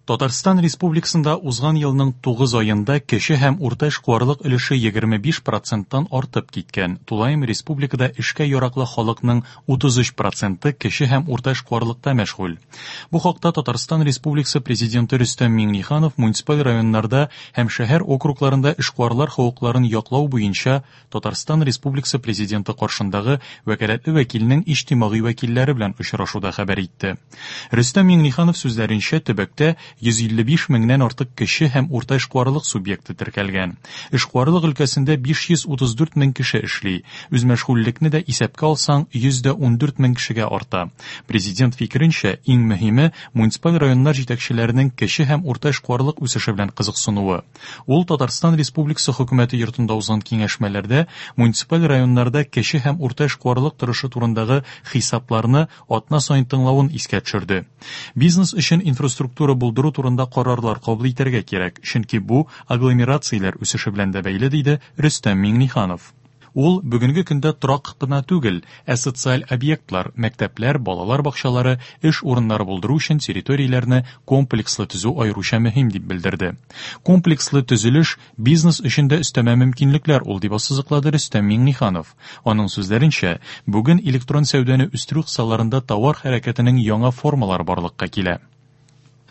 Татарстан Республикасында узган елның 9 аенда кече һәм урта эшкуарлык өлеше 25 проценттан артып киткән. Тулаем республикада эшкә яраклы халыкның 33 проценты кече һәм урта эшкуарлыкта мәшгуль. Бу хакта Татарстан Республикасы Президенты Рөстәм Миңнеханов муниципаль районнарда һәм шәһәр округларында эшкуарлар хокукларын яклау буенча Татарстан Республикасы Президенты каршындагы вәкаләтле вәкилнең иҗтимагый вәкилләре белән очрашуда хәбәр итте. Рөстәм Миңнеханов сүзләренчә, төбәктә 155 меңнән артык кече һәм урта эшкуарлык субъекты теркәлгән. Эшкуарлык өлкәсендә 534 мең кеше эшли. Үзмәшгульлекне дә исәпкә алсаң, 114 мең кешегә арта. Президент фикеренчә, иң мөһиме, муниципаль районнар җитәкчеләренең кече һәм урта эшкуарлык үсеше белән кызыксынуы. Ул Татарстан Республикасы Хөкүмәте йортында узган киңәшмәләрдә муниципаль районнарда кече һәм урта эшкуарлык торышы турындагы хисапларны атна саен тыңлавын искә төшерде. Бизнес өчен инфраструктура булдыру турында карарлар кабул итәргә кирәк, чөнки бу агломерацияләр үсеше белән дә бәйле, диде Рөстәм Миңнеханов. Ул бүгенге көндә торак кына түгел, ә социаль объектлар, мәктәпләр, балалар бакчалары, эш урыннары булдыру өчен территорияләрне комплекслы төзү аеруча мөһим дип белдерде. Комплекслы төзелеш бизнес өчен дә өстәмә мөмкинлекләр ул, дип ассызыклады Рөстәм Миңнеханов. Аның сүзләренчә, бүген электрон сәүдәне үстерү кысаларында товар хәрәкәтенең яңа формалары барлыкка килә.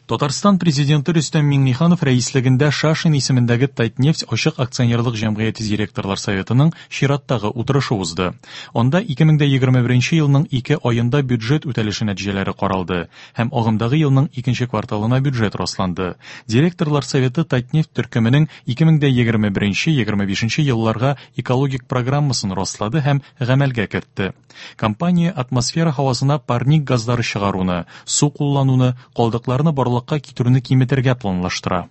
Татарстан Президенты Рөстәм Миңнеханов рәислегендә Шашин исемендәге Татнефть ачык акционерлык җәмгыяте директорлар советының чираттагы утырышы узды. Анда 2021 елның ике аенда бюджет үтәлеше нәтиҗәләре каралды һәм агымдагы елның икенче кварталына бюджет расланды. Директорлар советы Татнефть төркеменең 2021-2025 елларга экологик программасын раслады һәм гамәлгә кертте. Компания атмосфера һавасына парник газлары чыгаруны, су куллануны, калдыкларны барлыкка китерүне киметергә планлаштыра.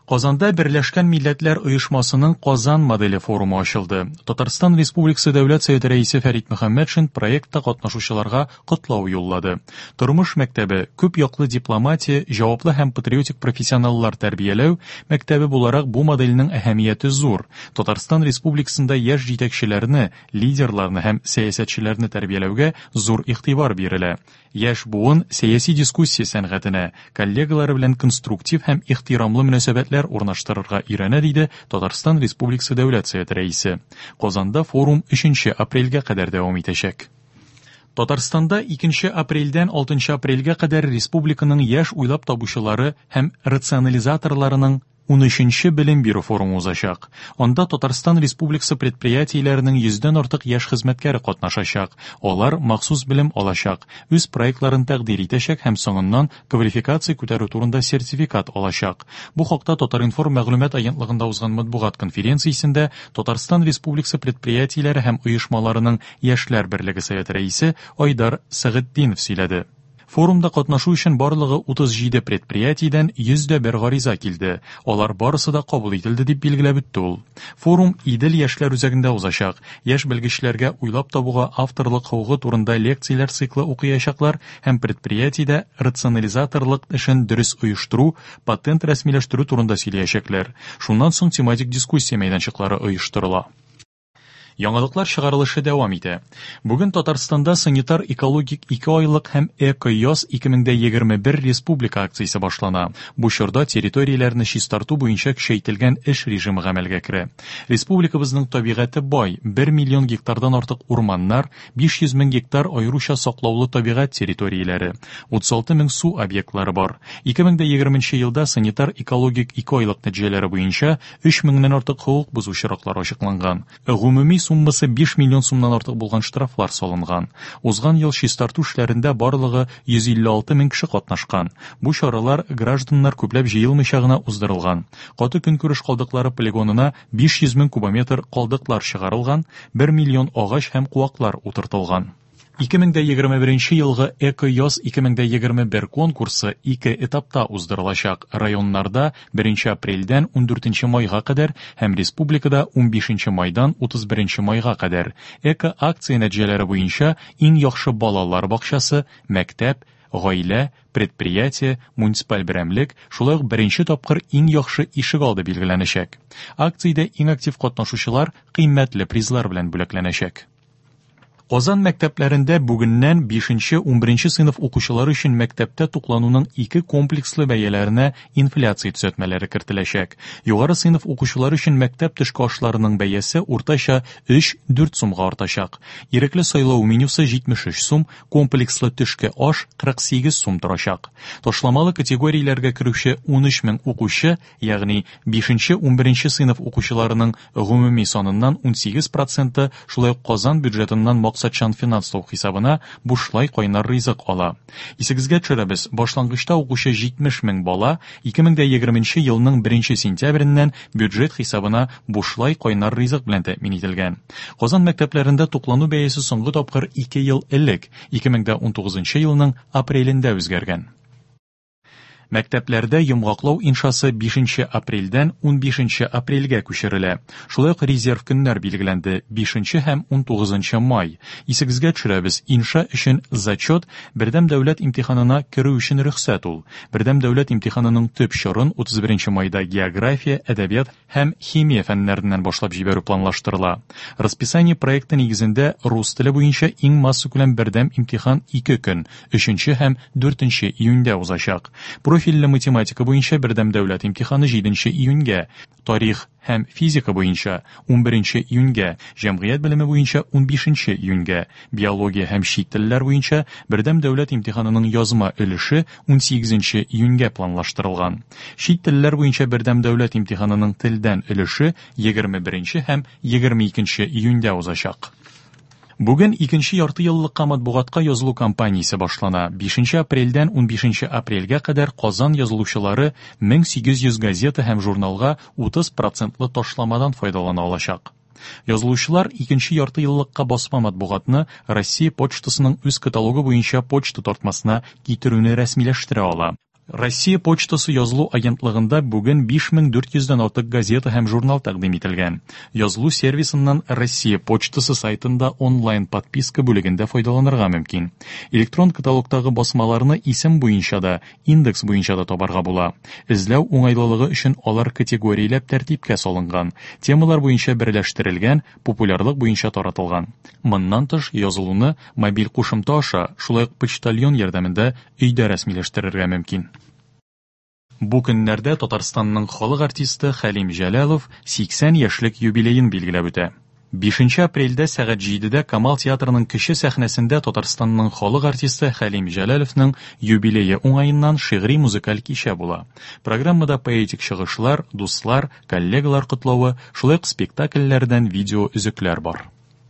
Казанда Берләшкән Милләтләр Оешмасының Казан моделе форумы ачылды. Татарстан Республикасы Дәүләт Советы рәисе Фәрит Мөхәммәтшин проектта катнашучыларга котлау юллады. Тормыш мәктәбе, күп яклы дипломатия, җаваплы һәм патриотик профессионаллар тәрбияләү мәктәбе буларак бу модельнең әһәмияте зур. Татарстан Республикасында яшь җитәкчеләрне, лидерларны һәм сәясәтчеләрне тәрбияләүгә зур игътибар бирелә. Яшь буын сәяси дискуссия сәнгатенә, коллегалары белән конструктив һәм ихтирамлы мөнәсәбәтләр урнаштырырга өйрәнә, диде Татарстан Республикасы Дәүләт Советы рәисе. Казанда форум 3 апрельгә кадәр дәвам итәчәк. Татарстанда 2 апрельдән 6 апрельгә кадәр республиканың яшь уйлап табучылары һәм рационализаторларының 13нче белем бирү форумы узачак. Анда Татарстан Республикасы предприятиеләренең йөздән артык яшь хезмәткәре катнашачак. Алар махсус белем алачак, үз проектларын тәкъдир итәчәк һәм соңыннан квалификация күтәрү турында сертификат алачак. Бу хакта Татар-информ мәгълүмат агентлыгында узган матбугат конференциясендә Татарстан Республикасы предприятиеләре һәм оешмаларының Яшьләр берлеге советы рәисе Айдар Сәгытдинов сөйләде. Форумда катнашу өчен барлыгы 37 предприятиедән 101 гариза килде. Алар барысы да кабул ителде, дип билгеләп үтте ул. Форум Идел яшьләр үзәгендә узачак. Яшь белгечләргә уйлап табуга авторлык хокукы турында лекцияләр циклы укыячаклар һәм предприятиедә рационализаторлык эшен дөрес оештыру, патент рәсмиләштерү турында сөйләячәкләр. Шуннан соң тематик дискуссия мәйданчыклары оештырыла. Яңалыклар чыгарылышы дәвам итә. Бүген Татарстанда санитар-экологик икеайлык һәм Эко-яз 2021 республика акциясе башлана. Бу чорда территорияләрне чистарту буенча көчәйтелгән эш режимы гамәлгә керә. Республикабызның табигате бай, 1 миллион гектардан артык урманнар, 500 мең гектар аеруча саклаулы табигать территорияләре, 36 мең су объектлары бар. 2020 елда санитар-экологик икеайлык нәтиҗәләре буенча 3 меңнән артык хокук бозу очраклары ачыкланган. Гомуми суммасы 5 миллион сумнан артык булган штрафлар салынган. Узган ел чистарту эшләрендә барлыгы 156 мең кеше катнашкан. Бу чаралар гражданнар күпләп җыелмыйча гына уздырылган. Каты көнкүреш калдыклары полигонына 500 мең кубометр калдыклар чыгарылган, 1 миллион агач һәм куаклар утыртылган. 2021 елгы Эко-яз 2021 конкурсы ике этапта уздырылачак. Районнарда 1 апрельдән 14 майга кадәр һәм республикада 15 майдан 31 майга кадәр. Эко-акция нәтиҗәләре буенча иң яхшы балалар бакчасы, мәктәп, гаилә, предприятие, муниципаль берәмлек, шулай ук беренче тапкыр иң яхшы ишегалды билгеләнәчәк. Акциядә иң актив катнашучылар кыйммәтле призлар белән бүләкләнәчәк. Казан мәктәпләрендә бүгеннән 5-11 сыйныф укучылары өчен мәктәптә туклануның ике комплекслы бәяләренә инфляция төзәтмәләре кертеләчәк. Югары сыйныф укучылары өчен мәктәп төшке ашларының бәясе уртача 3-4 сумга артачак. Ирекле сайлау менюсы 73 сум, комплекслы төшке аш 48 сум торачак. Ташламалы категорияләргә керүче 13 мең укучы, ягъни 5-11 сыйныф укучыларының гомуми саныннан 18 проценты шулай ук Казан бюджетыннан максатчан финанслау хисабына бушлай кайнар ризык ала. Исегезгә төшерәбез, башлангычта укучы 70 мең бала 2020 елның 1 сентябреннән бюджет хисабына бушлай кайнар ризык белән тәэмин ителгән. Казан мәктәпләрендә туклану бәясе соңгы тапкыр 2 ел элек, 2019 елның апрелендә үзгәргән. Мәктәпләрдә йомгаклау иншасы 5 апрельдән 15 апрельгә күчерелә. Шулай ук резерв көннәр билгеләнде: 5 һәм 19 май. Исегезгә төшерәбез, инша өчен зачет бердәм дәүләт имтиханына керү өчен рөхсәт ул. Бердәм дәүләт имтиханының төп чорын 31 майда география, әдәбият һәм химия фәннәреннән башлап җибәрү планлаштырыла. Расписание проекты нигезендә рус теле буенча иң массакүләм бердәм имтихан 2 көн, 3 һәм 4 июньдә узачак. Профильле математика буенча бердәм дәүләт имтиханы 7 июньгә, тарих һәм физика буенча 11 июньгә, җәмгыять белеме буенча 15 июньгә, биология һәм чит телләр буенча бердәм дәүләт имтиханының язма өлеше 18 июньгә планлаштырылган. Чит телләр буенча бердәм дәүләт имтиханының телдән өлеше 21 һәм 22 июньдә узачак. Бүген икенче ярты еллыкка матбугатка язылу кампаниясе башлана. 5 апрельдән 15 апрельгә кадәр Казан язылучылары 1800 газета һәм журналга 30 процентлы ташламадан файдалана алачак. Язылучылар икенче ярты еллыкка басма матбугатны Россия почтасының үз каталогы буенча почта тартмасына китерүне рәсмиләштерә ала. Россия почтасы язылу агентлыгында бүген 5400дән артык газета һәм журнал тәкъдим ителгән. Язылу сервисыннан Россия почтасы сайтында онлайн подписка бүлегендә файдаланырга мөмкин. Электрон каталогтагы басмаларны исем буенча да, индекс буенча да табарга була. Эзләү уңайлылыгы өчен алар категорияләп тәртипкә салынган, темалар буенча берләштерелгән, популярлык буенча таратылган. Моннан тыш, язылуны мобиль кушымта аша, шулай ук почтальон ярдәмендә өйдә рәсмиләштерергә мөмкин. Бу көннәрдә Татарстанның халык артисты Хәлим Җәләлов 80 яшьлек юбилеен билгеләп үтә. 5 апрельдә сәгать 7дә Камал театрының кече сәхнәсендә Татарстанның халык артисты Хәлим Җәләловның юбилее уңаеннан шигъри музыкаль кичә була. Программада поэтик чыгышлар, дуслар, коллегалар котлавы, шулай ук спектакльләрдән видео өзекләр бар.